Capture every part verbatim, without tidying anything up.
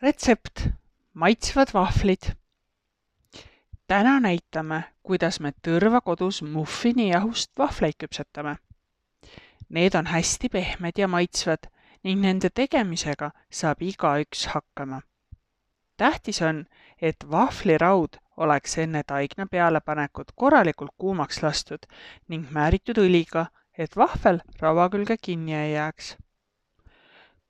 Retsept. Maitsvad vahvlid. Täna näitame, kuidas me tõrva kodus muffinijahust vahvleid küpsetame. Need on hästi pehmed ja maitsvad ning nende tegemisega saab igaüks hakkama. Tähtis on, et vahvliraud oleks enne taigna pealepanekut korralikult kuumaks lastud ning määritud õliga, et vahvel raua külge kinni ei jääks.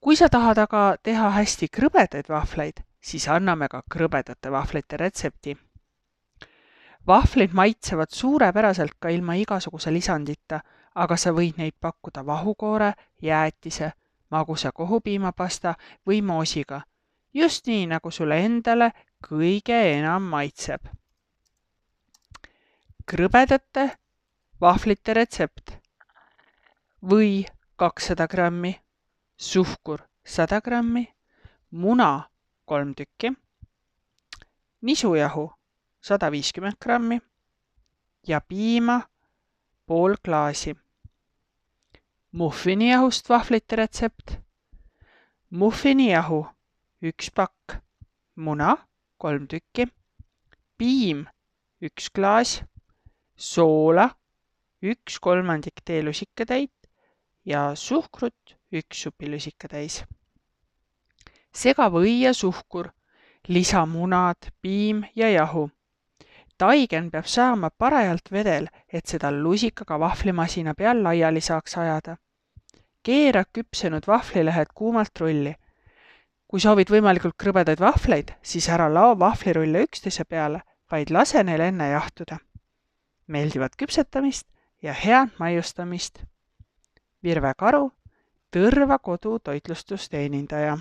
Kui sa tahad aga teha hästi krõbedaid vahvleid, siis anname ka krõbedate vahvlite retsepti. Vahvlid maitsevad suurepäraselt ka ilma igasuguse lisandita, aga sa võid neid pakkuda vahukoore, jäätise, magusa kohupiimapasta või moosiga, just nii, nagu sulle endale kõige enam maitseb. Krõbedate vahvlite retsept. Või kakssada grammi, suhkur sada grammi, muna kolm tükki, nisujahu sada viiskümmend grammi ja piima pool klaasi. Muffinijahust vahvlite retsept. Muffinijahu üks pakk, muna kolm tükki, piim üks klaas, soola üks kolmandik teelusikatäit ja suhkrut üks supilusikatäis. Sega või ja suhkur, lisa munad, piim ja jahu. Taigen peab saama parajalt vedel, et seda lusikaga vahvlimasina peal laiali saaks ajada. Keera küpsenud vahvlilehed kuumalt rulli. Kui soovid võimalikult krõbedaid vahvleid, siis ära lao vahvlirulle üksteise peale, vaid lase neil enne jahtuda. Meeldivat küpsetamist ja head maiustamist. Virve Karu, Tõrva kodu toitlustusteenindaja.